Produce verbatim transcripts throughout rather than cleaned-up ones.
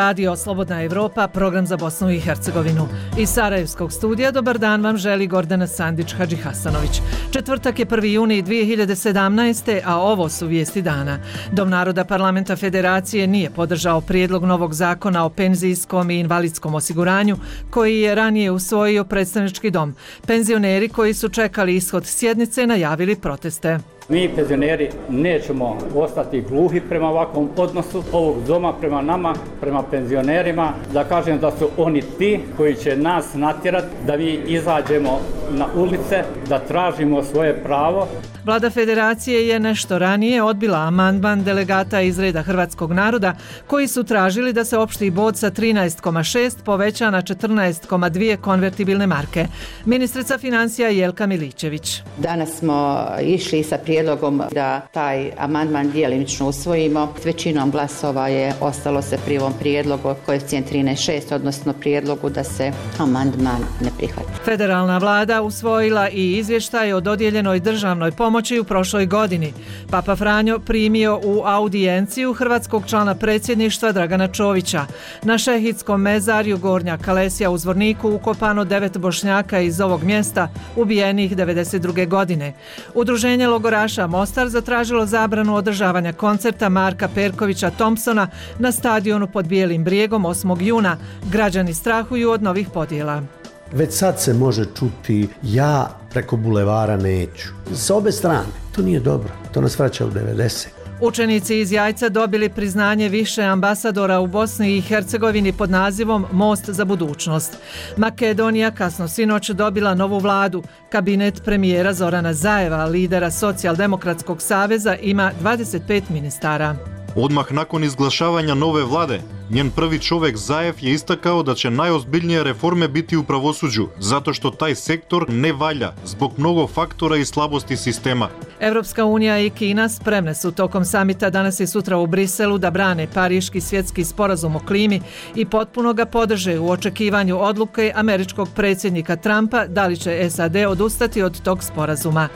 Radio Slobodna Evropa, program za Bosnu i Hercegovinu. Iz Sarajevskog studija dobar dan vam želi Gordana Sandić-Hadži Hasanović. Četvrtak je prvi juni dvije hiljade sedamnaeste. a ovo su vijesti dana. Dom naroda Parlamenta Federacije nije podržao prijedlog novog zakona o penzijskom i invalidskom osiguranju koji je ranije usvojio predstavnički dom. Penzioneri koji su čekali ishod sjednice najavili proteste. Mi penzioneri nećemo ostati gluhi prema ovakvom odnosu ovog doma prema nama, prema penzionerima, da kažem da su oni ti koji će nas natjerati da mi izađemo na ulice, da tražimo svoje pravo. Vlada Federacije je nešto ranije odbila amandman delegata iz reda hrvatskog naroda koji su tražili da se opšti bod sa trinaest zarez šest poveća na četrnaest zarez dvije konvertibilne marke. Ministrica financija Jelka Milićević. Danas smo išli sa prijedlogom da taj amandman djelimično usvojimo. Većinom glasova je ostalo se pri ovom prijedlogu koeficijent trinaest zarez šest, odnosno prijedlogu da se amandman ne prihvati. Federalna vlada usvojila i izvještaj o dodijeljenoj državnoj pomoći u prošloj godini. Papa Franjo primio u audijenciju hrvatskog člana predsjedništva Dragana Čovića. Na šehitskom mezarju Gornja Kalesija u Zvorniku ukopano devet Bošnjaka iz ovog mjesta ubijenih devedeset druge. godine. Udruženje logoraša Mostar zatražilo zabranu održavanja koncerta Marka Perkovića Thompsona na stadionu pod Bijelim brijegom osmog juna. Građani strahuju od novih podjela. Već sad se može čuti ja preko bulevara neću. S obe strane. To nije dobro. To nas vraća u devedesete. Učenici iz Jajca dobili priznanje više ambasadora u Bosni i Hercegovini pod nazivom Most za budućnost. Makedonija kasno sinoć dobila novu vladu. Kabinet premijera Zorana Zajeva, lidera Socijaldemokratskog saveza, ima dvadeset pet ministara. Odmah nakon izglašavanja nove vlade, njen prvi čovjek Zajev je istakao da će najozbiljnije reforme biti u pravosuđu, zato što taj sektor ne valja zbog mnogo faktora i slabosti sistema. Evropska unija i Kina spremne su tokom samita danas i sutra u Briselu da brane Pariški svjetski sporazum o klimi i potpuno ga podrže u očekivanju odluke američkog predsjednika Trumpa da li će S A D odustati od tog sporazuma.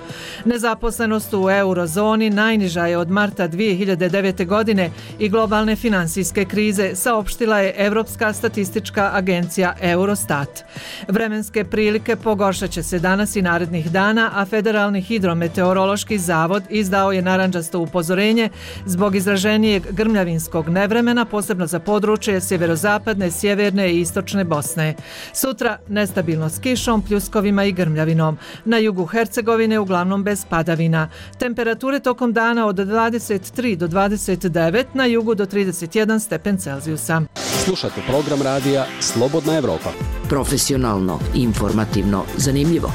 Nezaposlenost u eurozoni najniža je od marta dvije hiljade devete. godine i globalne finansijske krize, saopštila je Europska statistička agencija Eurostat. Vremenske prilike pogoršat će se danas i narednih dana, a Federalni hidrometeorološki zavod izdao je narandžasto upozorenje zbog izraženijeg grmljavinskog nevremena, posebno za područje sjeverozapadne, sjeverne i istočne Bosne. Sutra nestabilno s kišom, pljuskovima i grmljavinom. Na jugu Hercegovine uglavnom bez padavina. Temperature tokom dana od dvadeset tri do dvadeset devet, na jugu do trideset jedan stepen Celzijusa. Slušate program radija Slobodna Evropa. Profesionalno, informativno, zanimljivo.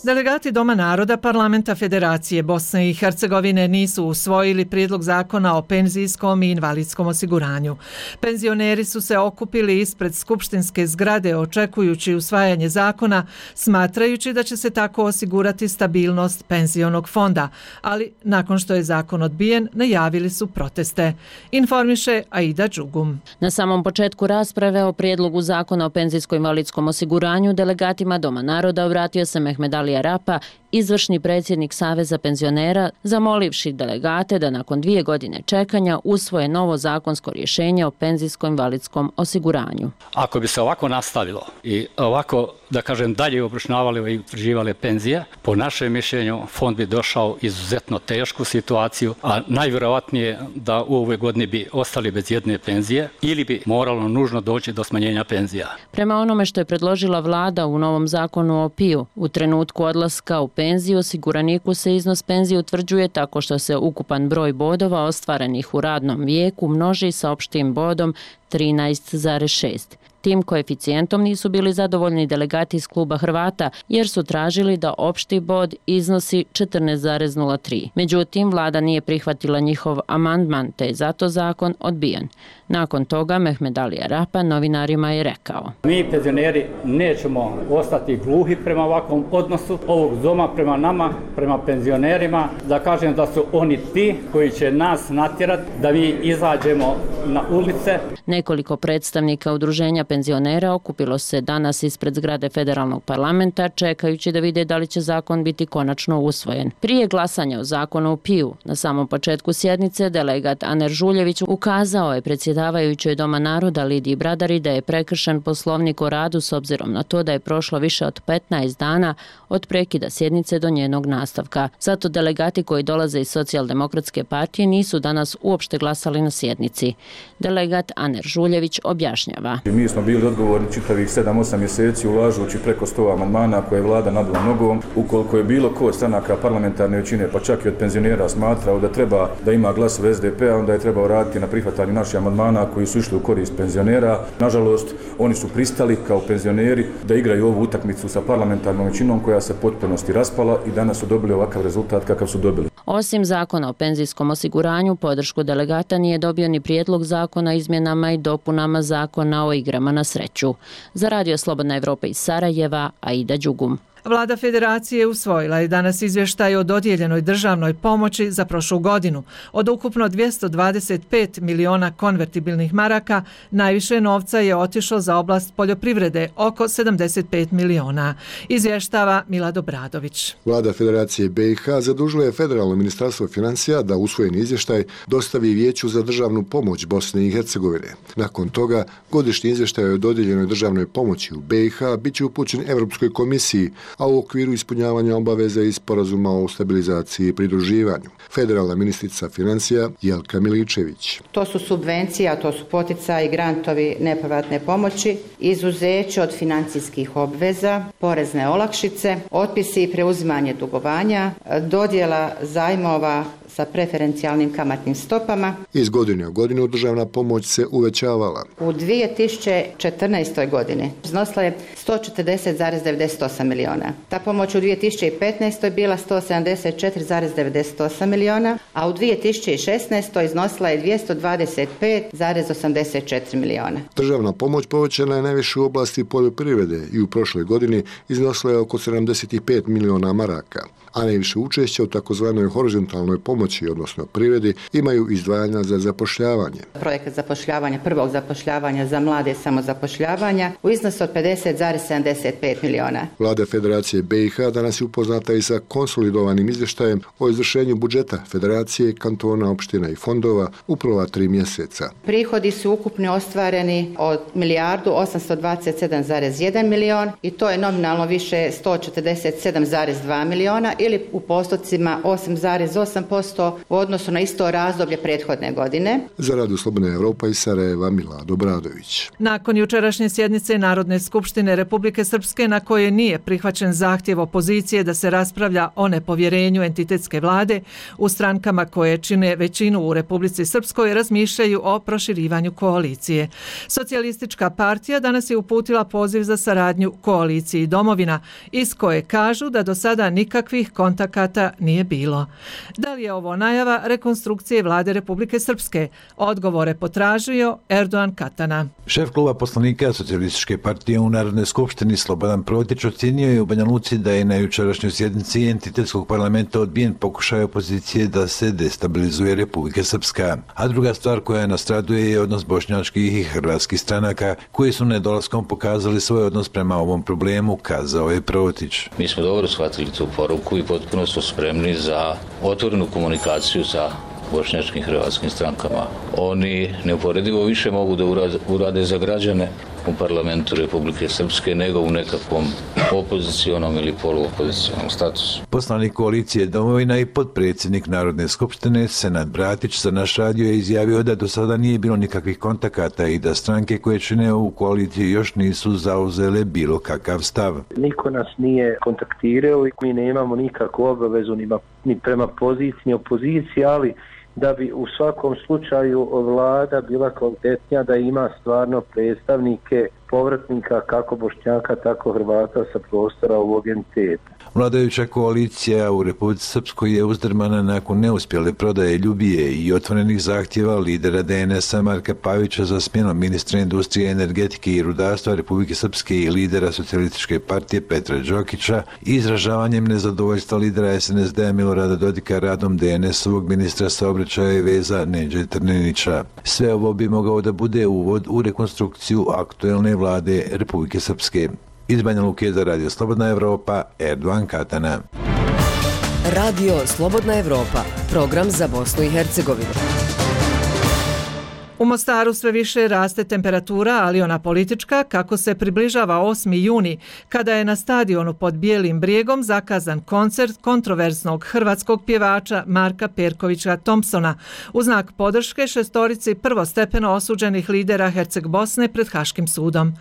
Delegati Doma naroda Parlamenta Federacije Bosne i Hercegovine nisu usvojili prijedlog zakona o penzijskom i invalidskom osiguranju. Penzioneri su se okupili ispred skupštinske zgrade očekujući usvajanje zakona, smatrajući da će se tako osigurati stabilnost penzionog fonda, ali nakon što je zakon odbijen, najavili su proteste. Informiše Aida Đugum. Na samom početku rasprave o prijedlogu zakona o penzijsko-invalidskom osiguranju delegatima Doma naroda obratio se Mehmed Ali Arapa, izvršni predsjednik Saveza penzionera, zamolivši delegate da nakon dvije godine čekanja usvoje novo zakonsko rješenje o penzijsko-invalidskom osiguranju. Ako bi se ovako nastavilo i ovako, da kažem, dalje obračunavali i utvrđivale penzije, po našem mišljenju fond bi došao izuzetno tešku situaciju, a najvjerojatnije da u ovoj godini bi ostali bez jedne penzije ili bi moralo nužno doći do smanjenja penzija. Prema onome što je predložila vlada u novom zakonu o P I U, u trenutku odlaska u penziju osiguraniku se iznos penzije utvrđuje tako što se ukupan broj bodova ostvarenih u radnom vijeku množi sa opštim bodom trinaest zarez šest. Tim koeficijentom nisu bili zadovoljni delegati iz kluba Hrvata jer su tražili da opšti bod iznosi četrnaest zarez nula tri. Međutim, vlada nije prihvatila njihov amandman, te je zato zakon odbijen. Nakon toga Mehmed Ali Arapa novinarima je rekao: Mi penzioneri nećemo ostati gluhi prema ovakvom odnosu ovog doma prema nama, prema penzionerima, da kažem da su oni ti koji će nas natjerati da mi izađemo na ulice. Nekoliko predstavnika udruženja penzionera penzionera okupilo se danas ispred zgrade federalnog parlamenta čekajući da vide da li će zakon biti konačno usvojen. Prije glasanja o zakonu o P I U na samom početku sjednice delegat Aner Žuljević ukazao je predsjedavajućoj Doma naroda Lidiji Bradari da je prekršen poslovnik o radu s obzirom na to da je prošlo više od petnaest dana od prekida sjednice do njenog nastavka. Zato delegati koji dolaze iz Socijaldemokratske partije nisu danas uopšte glasali na sjednici. Delegat Aner Žuljević objašnjava. Mi smo bili odgovorni čitavih sedam osam mjeseci ulažući preko sto amandmana koje je vlada nadula nogom. Ukoliko je bilo ko stranaka parlamentarne većine, pa čak i od penzionera smatrao da treba da ima glasove S D P-a, onda je trebao raditi na prihvatanju naših amandmana koji su išli u korist penzionera. Nažalost, oni su pristali kao penzioneri da igraju ovu utakmicu sa parlamentarnom većinom koja se potpunosti raspala i danas su dobili ovakav rezultat kakav su dobili. Osim zakona o penzijskom osiguranju, podršku delegata nije dobio ni prijedlog zakona o izmjenama i dopunama zakona o igrama na sreću. Za Radio Slobodna Evropa iz Sarajeva, Aida Đugum. Vlada Federacije usvojila je danas izvještaj o dodijeljenoj državnoj pomoći za prošlu godinu. Od ukupno dvjesto dvadeset pet miliona konvertibilnih maraka, najviše novca je otišlo za oblast poljoprivrede, oko sedamdeset pet miliona. Izvještava Milad Obradović. Vlada Federacije B i H zadužila je Federalno ministarstvo financija da usvojeni izvještaj dostavi Vijeću za državnu pomoć Bosne i Hercegovine. Nakon toga, godišnji izvještaj o dodijeljenoj državnoj pomoći u B i H bit će upućen Europskoj komisiji, a u okviru ispunjavanja obaveza iz sporazuma o stabilizaciji i pridruživanju. Federalna ministrica financija Jelka Miličević. To su subvencija, to su poticaji, grantovi, nepovratne pomoći, izuzeće od financijskih obveza, porezne olakšice, otpisi i preuzimanje dugovanja, dodjela zajmova sa preferencijalnim kamatnim stopama. Iz godine u godinu državna pomoć se uvećavala. U dvije tisuće četrnaestoj godini iznosila je sto četrdeset zarez devedeset osam miliona. Ta pomoć u dvije tisuće petnaestoj bila sto sedamdeset četiri zarez devedeset osam miliona, a u dvije tisuće šesnaestoj iznosila je dvjesto dvadeset pet zarez osamdeset četiri miliona. Državna pomoć povećana je najviše u oblasti poljoprivrede i u prošloj godini iznosila je oko sedamdeset pet miliona maraka, a najviše učešća u takozvanoj horizontalnoj pomoći, odnosno privredi, imaju izdvajanja za zapošljavanje. Projekat zapošljavanja, prvog zapošljavanja za mlade samozapošljavanja u iznosu od pedeset zarez sedamdeset pet miliona. Vlada Federacije B i H danas je upoznata i sa konsolidovanim izvještajem o izvršenju budžeta Federacije, kantona, opština i fondova u prva tri mjeseca. Prihodi su ukupno ostvareni od milijardu osamsto dvadeset sedam zarez jedan milion i to je nominalno više sto četrdeset sedam zarez dva miliona ili u postocima osam zarez osam posto u odnosu na isto razdoblje prethodne godine. Za Radio Slobodna Evropa iz Sarajeva, Milad Obradović. Nakon jučerašnje sjednice Narodne skupštine Republike Srpske na koje nije prihvaćen zahtjev opozicije da se raspravlja o nepovjerenju entitetske vlade, u strankama koje čine većinu u Republici Srpskoj razmišljaju o proširivanju koalicije. Socijalistička partija danas je uputila poziv za saradnju koaliciji Domovina, iz koje kažu da do sada nikakvih kontakata nije bilo. Da li je ovo najava rekonstrukcije vlade Republike Srpske? Odgovore potražio Erdogan Katana. Šef kluba poslanika Socijalističke partije u Narodnoj skupštini Slobodan Protić ocjenio je u Banja Luci da je na jučerašnjoj sjednici entitetskog parlamenta odbijen pokušaj opozicije da se destabilizuje Republika Srpska. A druga stvar koja nastraduje je odnos bošnjačkih i hrvatskih stranaka koji su nedolaskom pokazali svoj odnos prema ovom problemu, kazao je Protić. Mi smo dobro shvatili tu poruku i potpuno smo spremni za otvorenu komunikaciju sa bošnjačkim hrvatskim strankama. Oni neuporedivo više mogu da urade za građane u parlamentu Republike Srpske nego u nekakvom opozicionom ili poluopozicionom statusu. Poslanik koalicije Domovina i potpredsjednik Narodne skupštine Senad Bratić za naš radio je izjavio da do sada nije bilo nikakvih kontakata i da stranke koje čine ovu koaliciju još nisu zauzele bilo kakav stav. Niko nas nije kontaktirao i mi nemamo nikakvu obavezu ni prema poziciji ni opoziciji, ali da bi u svakom slučaju vlada bila kvalitetnija, da ima stvarno predstavnike povratnika kako Bošnjaka, tako Hrvata sa prostora ovog entiteta. Vladajuća koalicija u Republici Srpskoj je uzdrmana nakon neuspjele prodaje Ljubije i otvorenih zahtjeva lidera D N S-a Marka Pavića za smjenom ministra industrije, energetike i rudarstva Republike Srpske i lidera Socijalističke partije Petra Đokića i izražavanjem nezadovoljstva lidera S N S D-a Milorada Dodika radom D N S-ovog ministra saobraćaja i veza Neđe Trninića. Sve ovo bi mogao da bude uvod u rekonstrukciju aktuelne vlade Republike Srpske. Iz Banja Luke za Radio Slobodna Evropa, Erdovan Katana. Radio Slobodna Evropa, program za Bosnu i Hercegovinu. U Mostaru sve više raste temperatura, ali ona politička, kako se približava osmi juni, kada je na stadionu pod Bijelim brijegom zakazan koncert kontroverznog hrvatskog pjevača Marka Perkovića Thompsona u znak podrške šestorici prvostepeno osuđenih lidera Herceg Bosne pred Haškim sudom.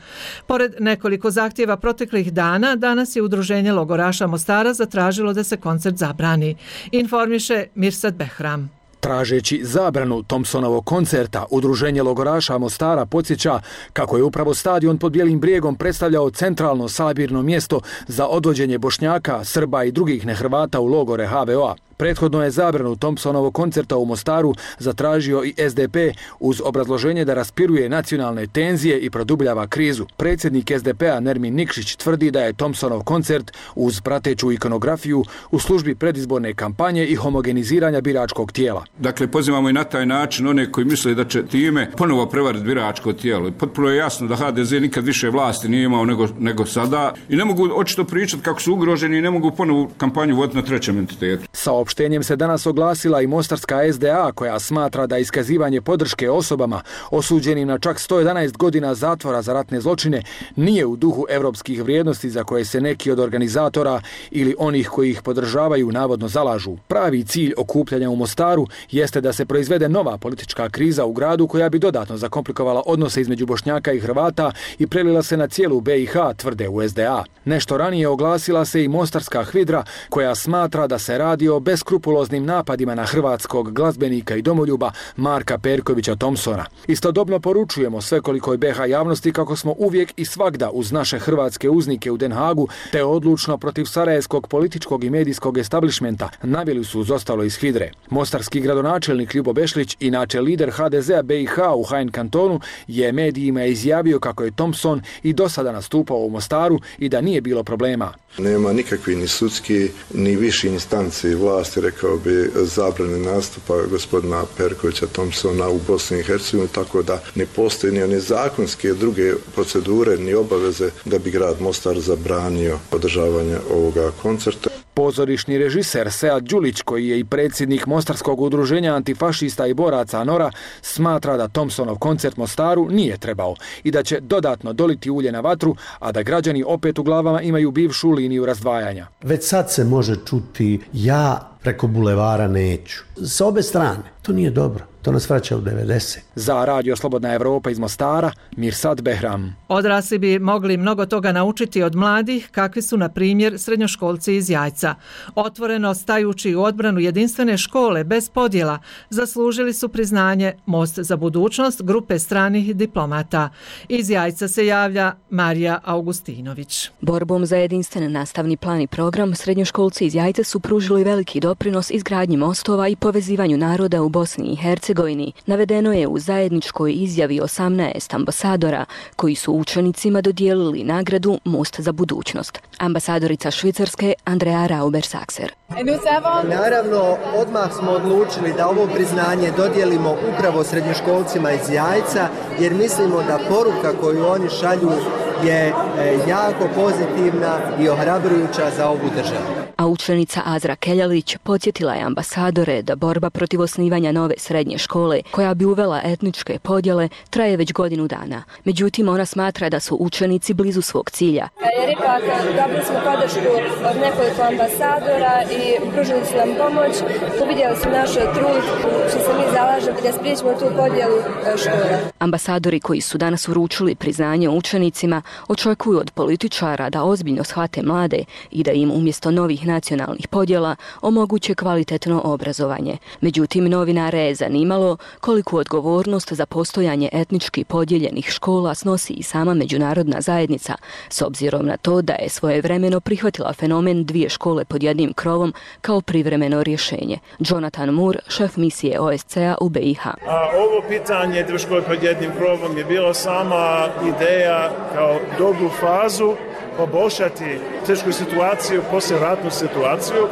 Pored nekoliko zahtjeva proteklih dana, danas je Udruženje logoraša Mostara zatražilo da se koncert zabrani. Informiše Mirsad Behram. Tražeći zabranu Thompsonovog koncerta, Udruženje logoraša Mostara podsjeća kako je upravo stadion pod Bijelim brijegom predstavljao centralno sabirno mjesto za odvođenje Bošnjaka, Srba i drugih nehrvata u logore ha ve o a. Prethodno je zabranu Thompsonovog koncerta u Mostaru zatražio i es de pe uz obrazloženje da raspiruje nacionalne tenzije i produbljava krizu. Predsjednik es de pe-a Nermin Nikšić tvrdi da je Thompsonov koncert uz prateću ikonografiju u službi predizborne kampanje i homogeniziranja biračkog tijela. Dakle, pozivamo i na taj način one koji misle da će time ponovo prevariti biračko tijelo. Potpuno je jasno da ha de ze nikad više vlasti nije imao nego, nego sada i ne mogu očito pričati kako su ugroženi i ne mogu ponovo kampanju voditi na trećem entitetu. Saopštenjem se danas oglasila i mostarska es de a koja smatra da iskazivanje podrške osobama osuđenim na čak sto jedanaest godina zatvora za ratne zločine nije u duhu evropskih vrijednosti za koje se neki od organizatora ili onih koji ih podržavaju navodno zalažu. Pravi cilj okupljanja u Mostaru jeste da se proizvede nova politička kriza u gradu koja bi dodatno zakomplikovala odnose između Bošnjaka i Hrvata i prelila se na cijelu be i ha, tvrde u es de a. Nešto ranije oglasila se i mostarska Hvidra koja smatra da se radi o beskrupuloznim napadima na hrvatskog glazbenika i domoljuba Marka Perkovića Thompsona. Istodobno poručujemo svekolikoj be ha javnosti kako smo uvijek i svagda uz naše hrvatske uznike u Den Hagu te odlučno protiv sarajevskog političkog i medijskog establishmenta, naveli su uz ostalo iz Hvidre. Mostarski gradonačelnik Ljubo Bešlić, inače lider ha de ze-a be i ha u Hain kantonu, je medijima izjavio kako je Thompson i do sada nastupao u Mostaru i da nije bilo problema. Nema nikakvi ni sudski ni viši instanci vlasti, rekao bi, zabrane nastupa gospodina Perkovića Thompsona u Bosni i Hercegovini, tako da ne postoji ni one zakonske druge procedure ni obaveze da bi grad Mostar zabranio održavanje ovoga koncerta. Pozorišni režiser Sead Đulić, koji je i predsjednik Mostarskog udruženja antifašista i boraca Nora, smatra da Thompsonov koncert Mostaru nije trebao i da će dodatno doliti ulje na vatru, a da građani opet u glavama imaju bivšu liniju razdvajanja. Već sad se može čuti ja preko bulevara neću. S obe strane. To nije dobro. To nas vraća u devedesete. Za Radio Slobodna Evropa iz Mostara, Mirsad Behram. Odrasli bi mogli mnogo toga naučiti od mladih, kakvi su, na primjer, srednjoškolci iz Jajca. Otvoreno stajući u odbranu jedinstvene škole bez podjela, zaslužili su priznanje Most za budućnost grupe stranih diplomata. Iz Jajca se javlja Marija Augustinović. Borbom za jedinstven nastavni plan i program, srednjoškolci iz Jajca su pružili veliki doprinos izgradnji mostova i povezivanju naroda u Bosni i Hercegovini. Navedeno je u zajedničkoj izjavi osamnaest ambasadora koji su učenicima dodijelili nagradu Most za budućnost. Ambasadorica Švicarske Andrea Rauber-Sakser. Naravno, odmah smo odlučili da ovo priznanje dodijelimo upravo srednjoškolcima iz Jajca, jer mislimo da poruka koju oni šalju je jako pozitivna i ohrabrujuća za ovu državu. A učenica Azra Keljalić podsjetila je ambasadore da borba protiv osnivanja nove srednje škole, koja bi uvela etničke podjele, traje već godinu dana. Međutim, ona smatra da su učenici blizu svog cilja. Je rekla da dobili smo podršku od nekoliko ambasadora i pružili su nam pomoć. Uvidjeli su naš trud što se mi zalažemo da spriječimo tu podjelu škole. Ambasadori koji su danas uručili priznanje učenicima očekuju od političara da ozbiljno shvate mlade i da im umjesto novih nacionalnih podjela omoguće kvalitetno obrazovanje. Međutim, novinare je zanimalo koliku odgovornost za postojanje etnički podijeljenih škola snosi i sama međunarodna zajednica, s obzirom na to da je svojevremeno prihvatila fenomen dvije škole pod jednim krovom kao privremeno rješenje. Jonathan Moore, šef misije o es ce-a u be i ha. A ovo pitanje dvije škole pod jednim krovom je bilo sama ideja kao dobru fazu poboljšati tešku situaciju, poslijeratnu situaciju,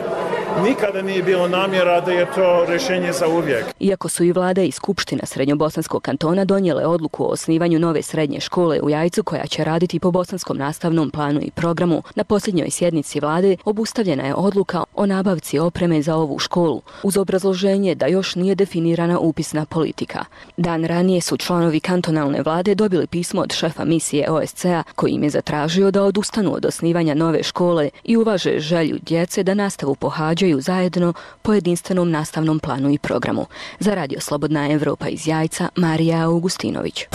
nikada nije bilo namjera da je to rješenje za uvijek. Iako su i vlada i skupština Srednjobosanskog kantona donijele odluku o osnivanju nove srednje škole u Jajcu koja će raditi po bosanskom nastavnom planu i programu, na posljednjoj sjednici vlade obustavljena je odluka o nabavci opreme za ovu školu, uz obrazloženje da još nije definirana upisna politika. Dan ranije su članovi kantonalne vlade dobili pismo od šefa misije O S C-a koji im je zatražio da odustanu od osnivanja nove škole i uvaže želju djece da nastavu pohađaju zajedno po jedinstvenom nastavnom planu i programu. Za Radio Slobodna Evropa iz Jajca, Marija Augustinović.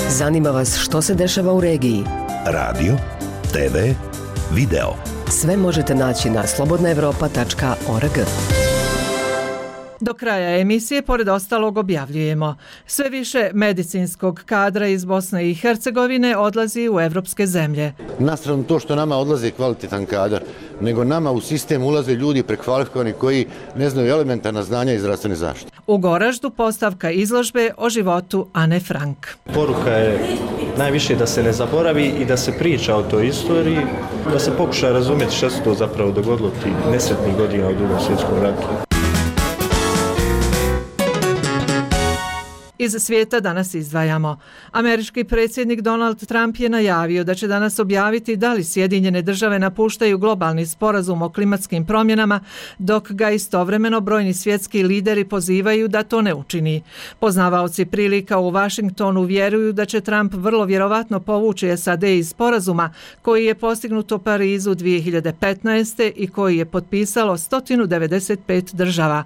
Zanima vas što se dešava u regiji? Radio, te ve, video. Sve možete naći na slobodna evropa tačka org. Do kraja emisije, pored ostalog, objavljujemo. Sve više medicinskog kadra iz Bosne i Hercegovine odlazi u evropske zemlje. Na stranu to što nama odlazi kvalitetan kadar, nego nama u sistem ulaze ljudi prekvalifikovani koji ne znaju elementarna znanja iz zdravstvene zaštite. U Goraždu postavka izložbe o životu Ane Frank. Poruka je najviše da se ne zaboravi i da se priča o toj istoriji, da se pokuša razumjeti što se to zapravo dogodilo ti nesretnih godina u Drugom svjetskom ratu. Iz svijeta danas izdvajamo. Američki predsjednik Donald Trump je najavio da će danas objaviti da li Sjedinjene države napuštaju globalni sporazum o klimatskim promjenama, dok ga istovremeno brojni svjetski lideri pozivaju da to ne učini. Poznavaoci prilika u Washingtonu vjeruju da će Trump vrlo vjerovatno povući S A D iz sporazuma koji je postignut u Parizu dvije hiljade petnaeste. i koji je potpisalo sto devedeset pet država.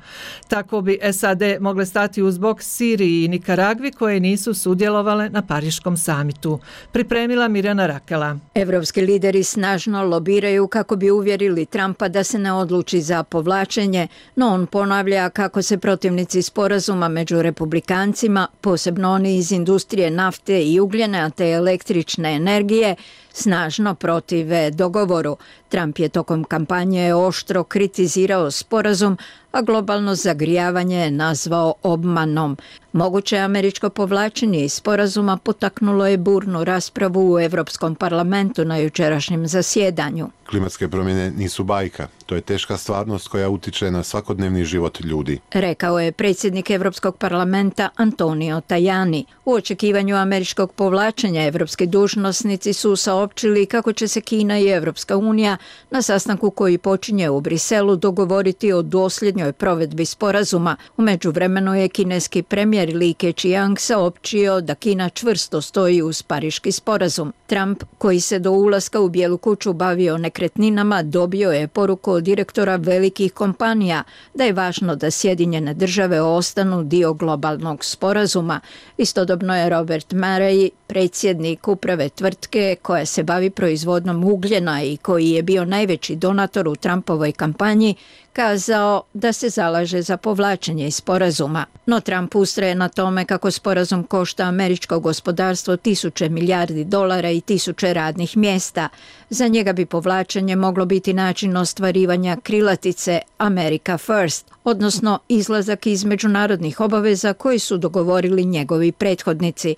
Tako bi S A D mogle stati uz bok Siriji i Nikaragvi koje nisu sudjelovale na Pariškom samitu. Pripremila Mirjana Rakela. Evropski lideri snažno lobiraju kako bi uvjerili Trumpa da se ne odluči za povlačenje, no on ponavlja kako se protivnici sporazuma među republikancima, posebno oni iz industrije nafte i ugljena te električne energije, snažno protive dogovoru. Trump je tokom kampanje oštro kritizirao sporazum, a globalno zagrijavanje je nazvao obmanom. Moguće američko povlačenje iz sporazuma potaknulo je burnu raspravu u Europskom parlamentu na jučerašnjem zasjedanju. Klimatske promjene nisu bajka. To je teška stvarnost koja utiče na svakodnevni život ljudi. Rekao je predsjednik Europskog parlamenta Antonio Tajani. U očekivanju američkog povlačenja evropski dužnosnici su saopćili kako će se Kina i Evropska unija na sastanku koji počinje u Briselu dogovoriti o dosljednjoj provedbi sporazuma. U međuvremenu je kineski premijer Li Keqiang saopćio da Kina čvrsto stoji uz Pariški sporazum. Trump, koji se do ulaska u Bijelu kuću bavio nekretninama, dobio je poruku od direktora velikih kompanija da je važno da Sjedinjene države ostanu dio globalnog sporazuma. Istodobno je Robert Murray, predsjednik uprave tvrtke koja se bavi proizvodnom ugljena i koji je bio najveći donator u Trumpovoj kampanji, kazao da se zalaže za povlačenje iz sporazuma. No Trump ustraje na tome kako sporazum košta američko gospodarstvo tisuće milijardi dolara i tisuće radnih mjesta. Za njega bi povlačenje moglo biti način ostvarivanja krilatice America First, odnosno izlazak iz međunarodnih obaveza koji su dogovorili njegovi prethodnici.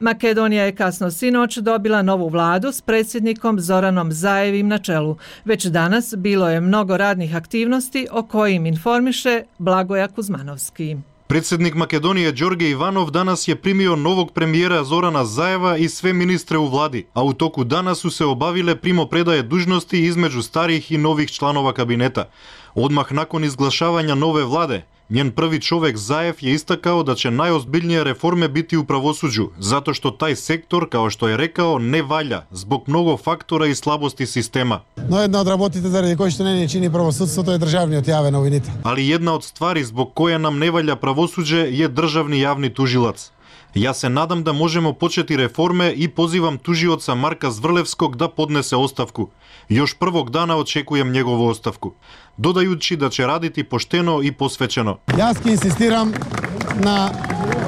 Makedonija je kasno sinoć dobila novu vladu s predsjednikom Zoranom Zaevim na čelu. Već danas bilo je mnogo radnih aktivnosti o kojim informiše Blagoja Kuzmanovski. Predsjednik Makedonije Đorđe Ivanov danas je primio novog premijera Zorana Zaeva i sve ministre u vladi, a u toku dana su se obavile primopredaje dužnosti između starih i novih članova kabineta. Odmah nakon izglašavanja nove vlade, njen prvi čovjek Zaev je istakao da će najozbiljnije reforme biti u pravosuđu, zato što taj sektor, kao što je rekao, ne valja zbog mnogo faktora i slabosti sistema. No jedna od работите заради кои што не ни чини правосудството е државниот јавен обвинител. Ali jedna od stvari zbog koje nam ne valja pravosuđe je državni javni tužilac. Ja se nadam da možemo početi reforme i pozivam tužioca Marka Zvrlevskog da podnese ostavku. Još prvog dana očekujem njegovu ostavku, dodajući da će raditi pošteno i posvećeno. Јас ќе инсистирам на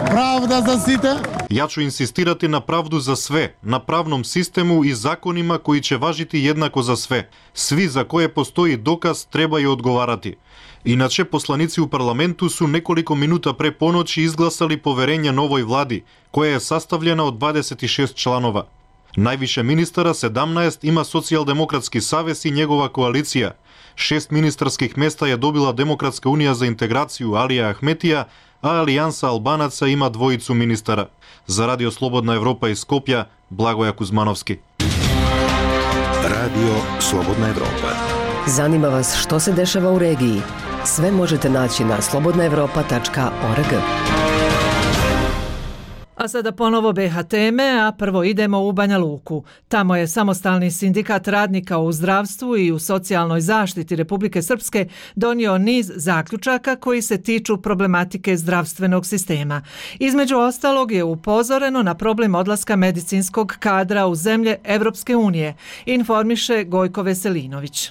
правда за сите. Ja ću insistirati na pravdu za sve, na pravnom sistemu i zakonima koji će važiti jednako za sve. Svi za koje postoji dokaz trebaju odgovarati. Inače, poslanici u parlamentu su nekoliko minuta pre ponoći izglasali poverenje novoj vladi, koja je sastavljena od dvadeset šest članova. Najviše ministara, sedamnaest, ima Socijaldemokratski savez i njegova koalicija. Šest ministarskih mesta je dobila Demokratska unija za integraciju Alija Ahmetija, a Alijansa Albanaca ima dvojicu ministara. Za Radio Slobodna Evropa iz Skopja, Blagoja Kuzmanovski. Radio Slobodna Evropa. Zanima vas što se dešava u regiji? Sve možete naći na slobodna evropa tačka org. A sada ponovo B H teme, a prvo idemo u Banja Luku. Tamo je Samostalni sindikat radnika u zdravstvu i u socijalnoj zaštiti Republike Srpske donio niz zaključaka koji se tiču problematike zdravstvenog sistema. Između ostalog je upozoreno na problem odlaska medicinskog kadra u zemlje Evropske unije, informiše Gojko Veselinović.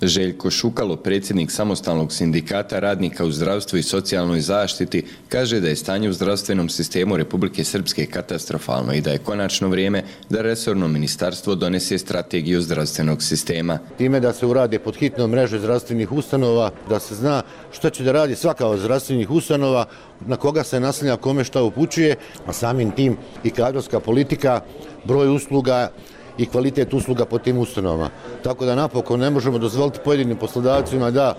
Željko Šukalo, predsjednik Samostalnog sindikata radnika u zdravstvu i socijalnoj zaštiti, kaže da je stanje u zdravstvenom sistemu Republike Srpske katastrofalno i da je konačno vrijeme da resorno ministarstvo donese strategiju zdravstvenog sistema. Time da se urade pod hitnom mreže zdravstvenih ustanova, da se zna što će da radi svaka od zdravstvenih ustanova, na koga se naslanja, kome šta upućuje, a samim tim i kadrovska politika, broj usluga i kvalitet usluga po tim ustanovama. Tako da napokon ne možemo dozvoliti pojedinim poslodavcima da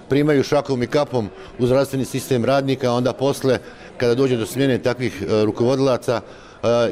primaju šakom i kapom u zdravstveni sistem radnika, a onda posle, kada dođe do smjene takvih rukovodilaca,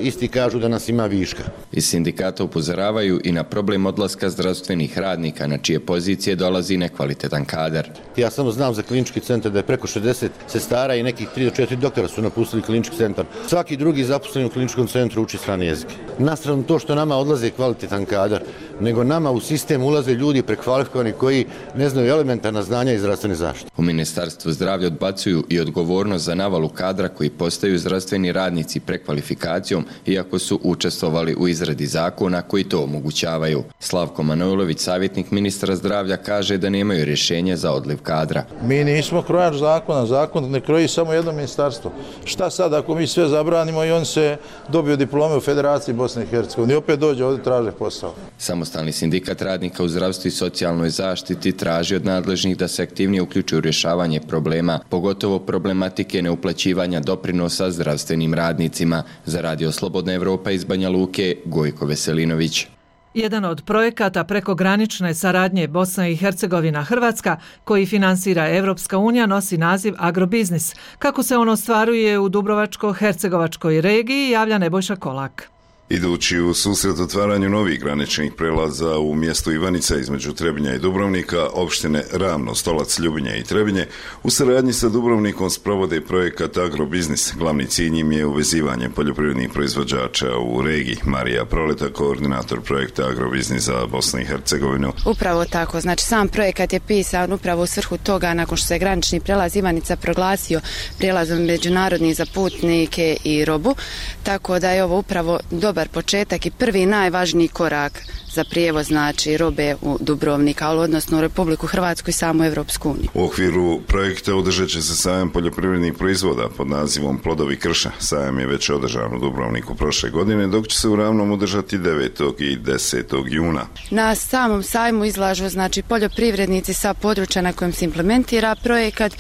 isti kažu da nas ima viška. Iz sindikata upozoravaju i na problem odlaska zdravstvenih radnika, na čije pozicije dolazi nekvalitetan kadar. Ja samo znam za klinički centar da je preko šezdeset sestara i nekih tri do četiri doktora su napustili klinički centar. Svaki drugi zaposleni u kliničkom centru uči strane jezike. Nastrano to što nama odlaze kvalitetan kadar, nego nama u sistem ulaze ljudi prekvalifikovani koji ne znaju elementarna znanja iz zdravstvene zaštite. U Ministarstvu zdravlja odbacuju i odgovornost za navalu kadra koji postaju zdravstveni radnici prekvalifikacijom, iako su učestvovali u izradi zakona koji to omogućavaju. Slavko Manojlović, savjetnik ministra zdravlja, kaže da nemaju rješenje za odliv kadra. Mi nismo krojač zakona, zakon ne kroji samo jedno ministarstvo. Šta sad ako mi sve zabranimo i on se dobiju diplome u Federaciji Bosne i Hercegovine i opet dođe ovdje traže posao. Samostalni sindikat radnika u zdravstvu i socijalnoj zaštiti traži od nadležnih da se aktivnije uključuju u rješavanje problema, pogotovo problematike neuplaćivanja doprinosa zdravstvenim radnicima. Za Radio Slobodna Evropa iz Banja Luke, Gojko Veselinović. Jedan od projekata prekogranične saradnje Bosna i Hercegovina Hrvatska, koji finansira Evropska unija, nosi naziv Agrobiznis. Kako se on ostvaruje u Dubrovačko-Hercegovačkoj regiji, javlja Nebojša Kolak. Idući u susret otvaranju novih graničnih prelaza u mjestu Ivanica između Trebinja i Dubrovnika, opštine Ravno, Stolac, Ljubinje i Trebinje, u saradnji sa Dubrovnikom sprovode projekat Agrobiznis. Glavni cilj im je uvezivanje poljoprivrednih proizvođača u regiji. Marija Proleta, koordinator projekta Agrobiznis za Bosnu i Hercegovinu. Upravo tako, znači sam projekat je pisan upravo u svrhu toga nakon što se granični prelaz Ivanica proglasio prijelazom međunarodni za putnike i robu, tako da je ovo upravo dobar početak i prvi najvažniji korak za prijevoz znači robe u Dubrovnika, ali odnosno u Republiku Hrvatsku i samu Evropsku uniju. U okviru projekta održat će se sajam poljoprivrednih proizvoda pod nazivom Plodovi krša. Sajam je već održan u Dubrovniku prošle godine, dok će se u Ravnom održati devetog i desetog juna. Na samom sajmu izlažu znači poljoprivrednici sa područja na kojem se implementira projekat.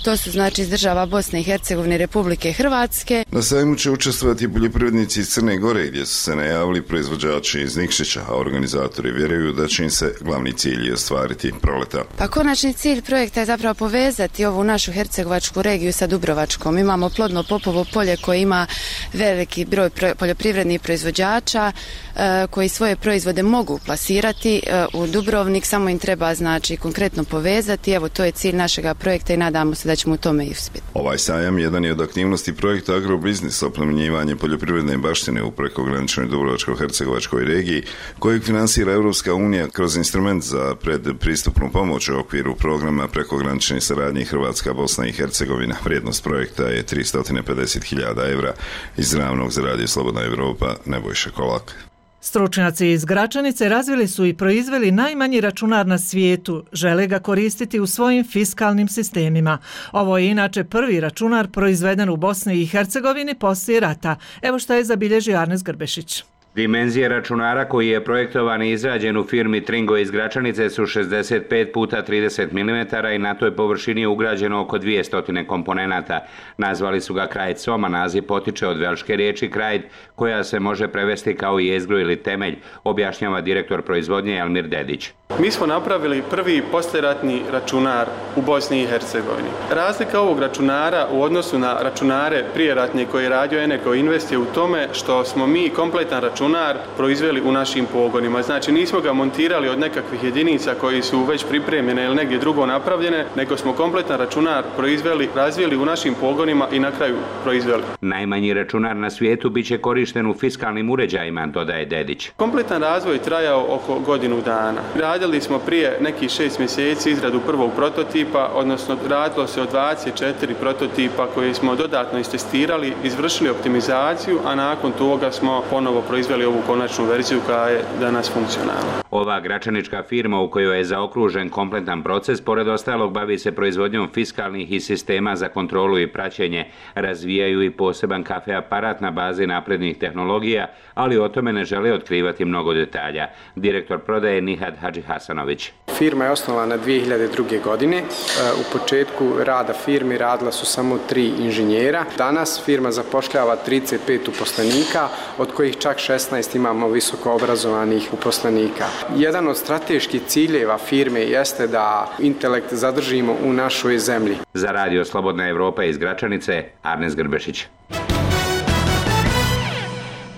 To su znači iz država Bosne i Hercegovine i Republike Hrvatske. Na sajmu će učestvovati poljoprivrednici iz Crne Gore, gdje su se najavili proizvođači iz Nikšića, a organizatori vjeruju da će im se glavni cilj ostvariti. Proleta. Pa konačni cilj projekta je zapravo povezati ovu našu hercegovačku regiju sa Dubrovačkom. Imamo plodno popovo polje koje ima veliki broj poljoprivrednih proizvođača e, koji svoje proizvode mogu plasirati e, u Dubrovnik, samo im treba znači konkretno povezati. Evo, to je cilj našega projekta i nadamo se da ćemo u tome i uspjeti. Ovaj sajam jedan je od aktivnosti projekta Agrobiznis, oplemenjivanje poljoprivredne baštine u prekograničnoj Dubrovačko-hercegovačkoj regiji, kojeg finansira Evropska unija kroz instrument za predpristupnu pomoć u okviru programa prekogranične saradnje Hrvatska, Bosna i Hercegovina. Vrijednost projekta je tristo pedeset hiljada evra. Iz Ravnog za Radio Slobodna Evropa, Nebojša Kolak. Stručnjaci iz Gračanice razvili su i proizveli najmanji računar na svijetu. Žele ga koristiti u svojim fiskalnim sistemima. Ovo je inače prvi računar proizveden u Bosni i Hercegovini poslije rata. Evo šta je zabilježio Arnes Grbešić. Dimenzije računara koji je projektovan i izrađen u firmi Tringo iz Gračanice su šezdeset pet puta trideset milimetara i na toj površini je ugrađeno oko dvjesto komponenata. Nazvali su ga Krajd Soma, naziv potiče od velške riječi Krajd, koja se može prevesti kao jezgro ili temelj, objašnjava direktor proizvodnje Elmir Dedić. Mi smo napravili prvi poslijeratni računar u Bosni i Hercegovini. Razlika ovog računara u odnosu na računare prijeratne koje je radio Eneco Invest je u tome što smo mi kompletan računar proizveli u našim pogonima. Znači nismo ga montirali od nekakvih jedinica koji su već pripremljene ili negdje drugo napravljene, nego smo kompletan računar proizveli, razvili u našim pogonima i na kraju proizveli. Najmanji računar na svijetu bit će korišten u fiskalnim uređajima, dodaje Dedić. Kompletan razvoj trajao oko godinu dana. Radili smo prije nekih šest mjeseci izradu prvog prototipa, odnosno radilo se o dvadeset četiri prototipa koje smo dodatno istestirali, izvršili optimizaciju, a nakon toga smo ponovo proizveli ovu konačnu verziju koja je danas funkcionalna. Ova gračanička firma u kojoj je zaokružen kompletan proces, pored ostalog bavi se proizvodnjom fiskalnih i sistema za kontrolu i praćenje. Razvijaju i poseban kafe aparat na bazi naprednih tehnologija, ali o tome ne žele otkrivati mnogo detalja. Direktor prodaje Nihad Hadži Hasanović. Firma je osnovana dvije hiljade druge. godine. U početku rada firmi radila su samo tri inženjera. Danas firma zapošljava trideset pet uposlenika, od kojih čak šesnaest imamo visoko obrazovanih uposlenika. Jedan od strateških ciljeva firme jeste da intelekt zadržimo u našoj zemlji. Za radio Slobodna Evropa iz Gračanice, Arnes Grbešić.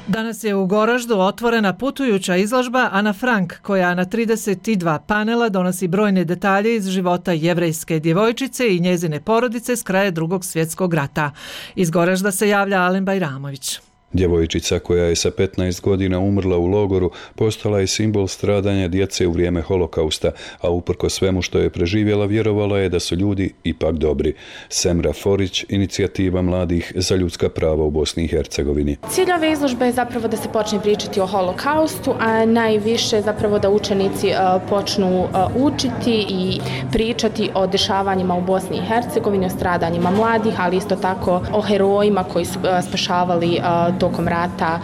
Danas je u Goraždu otvorena putujuća izložba Ana Frank, koja na trideset dva panela donosi brojne detalje iz života jevrejske djevojčice i njezine porodice s kraja Drugog svjetskog rata. Iz Goražda se javlja Alen Bajramović. Djevojčica koja je sa petnaest godina umrla u logoru postala je simbol stradanja djece u vrijeme holokausta, a uprko svemu što je preživjela vjerovala je da su ljudi ipak dobri. Semra Forić, inicijativa mladih za ljudska prava u Bosni i Hercegovini. Cilj ove izložbe je zapravo da se počne pričati o holokaustu, a najviše zapravo da učenici uh, počnu uh, učiti i pričati o dešavanjima u Bosni i Hercegovini, o stradanjima mladih, ali isto tako o herojima koji su uh, spašavali uh, tokom rata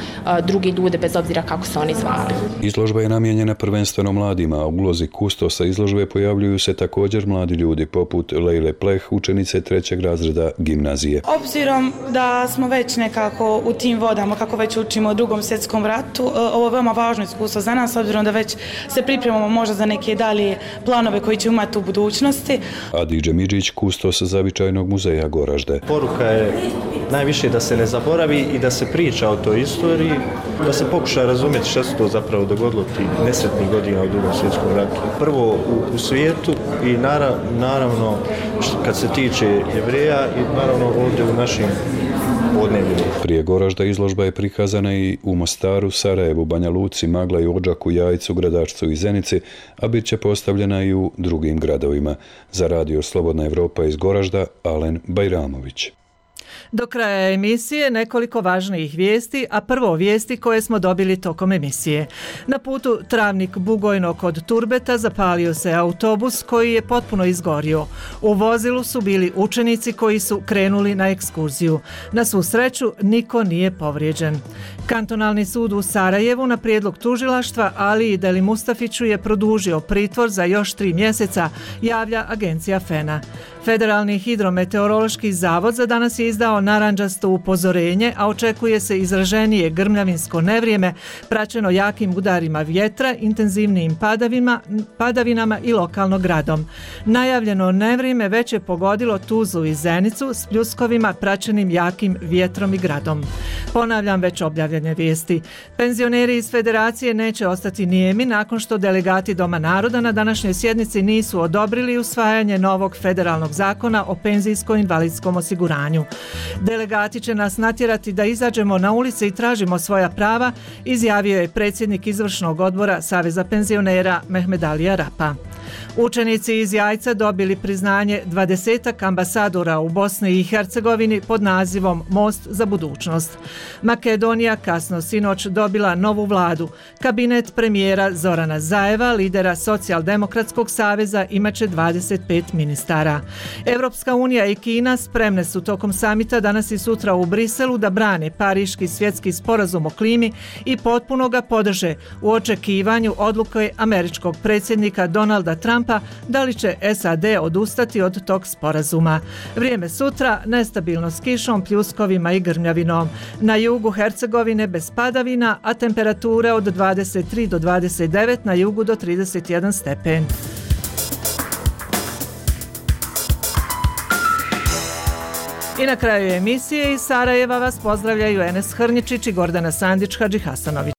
drugi ljude bez obzira kako se oni zvali. Izložba je namijenjena prvenstveno mladima, a u ulozi kustosa izložbe pojavljuju se također mladi ljudi poput Lejle Pleh, učenice trećeg razreda gimnazije. Obzirom da smo već nekako u tim vodama, kako već učimo o Drugom svjetskom ratu, ovo je veoma važno iskustvo za nas, obzirom da već se pripremamo možda za neke dalje planove koji će imati u budućnosti. Adidže Midžić, kustos Zavičajnog muzeja Goražde. Poruka je najviše da se ne zaboravi i da se priča o toj istoriji, da se pokuša razumjeti što se to zapravo dogodilo ti nesretnih godina u Drugom svjetskom ratu. Prvo u, u svijetu i nara, naravno kad se tiče Jevreja i naravno ovdje u našim podnebljima. Prije Goražda izložba je prikazana i u Mostaru, Sarajevu, Banja Luci, Magla i Odžaku, Jajcu, Gradačcu i Zenici, a bit će postavljena i u drugim gradovima. Za radio Slobodna Evropa iz Goražda, Alen Bajramović. Do kraja emisije nekoliko važnijih vijesti, a prvo vijesti koje smo dobili tokom emisije. Na putu Travnik-Bugojno kod Turbeta zapalio se autobus koji je potpuno izgorio. U vozilu su bili učenici koji su krenuli na ekskurziju. Na svu sreću niko nije povrijeđen. Kantonalni sud u Sarajevu na prijedlog tužilaštva Ali Deli Mustafiću je produžio pritvor za još tri mjeseca, javlja agencija FENA. Federalni hidrometeorološki zavod za danas je izdao narandžasto upozorenje, a očekuje se izraženije grmljavinsko nevrijeme, praćeno jakim udarima vjetra, intenzivnijim padavima, padavinama i lokalno gradom. Najavljeno nevrijeme već je pogodilo Tuzlu i Zenicu s pljuskovima praćenim jakim vjetrom i gradom. Ponavljam već objavljene vijesti. Penzioneri iz Federacije neće ostati nijemi nakon što delegati Doma naroda na današnjoj sjednici nisu odobrili usvajanje novog federalnog zakona o penzijsko-invalidskom osiguranju. Delegati će nas natjerati da izađemo na ulice i tražimo svoja prava, izjavio je predsjednik izvršnog odbora Saveza penzionera Mehmedalija Rapa. Učenici iz Jajca dobili priznanje dvadesetak ambasadora u Bosni i Hercegovini pod nazivom Most za budućnost. Makedonija kasno sinoć dobila novu vladu. Kabinet premijera Zorana Zajeva, lidera Socijaldemokratskog saveza, imaće dvadeset pet ministara. Evropska unija i Kina spremne su tokom samita samita danas i sutra u Briselu da brane Pariški svjetski sporazum o klimi i potpuno ga podrže u očekivanju odluke američkog predsjednika Donalda Trumpa da li će S A D odustati od tog sporazuma. Vrijeme sutra nestabilno s kišom, pljuskovima i grmljavinom. Na jugu Hercegovine bez padavina, a temperature od dvadeset tri do dvadeset devet, na jugu do trideset jedan stepen. I na kraju emisije iz Sarajeva vas pozdravljaju Enes Hrnjičić i Gordana Sandić Hadžihasanović.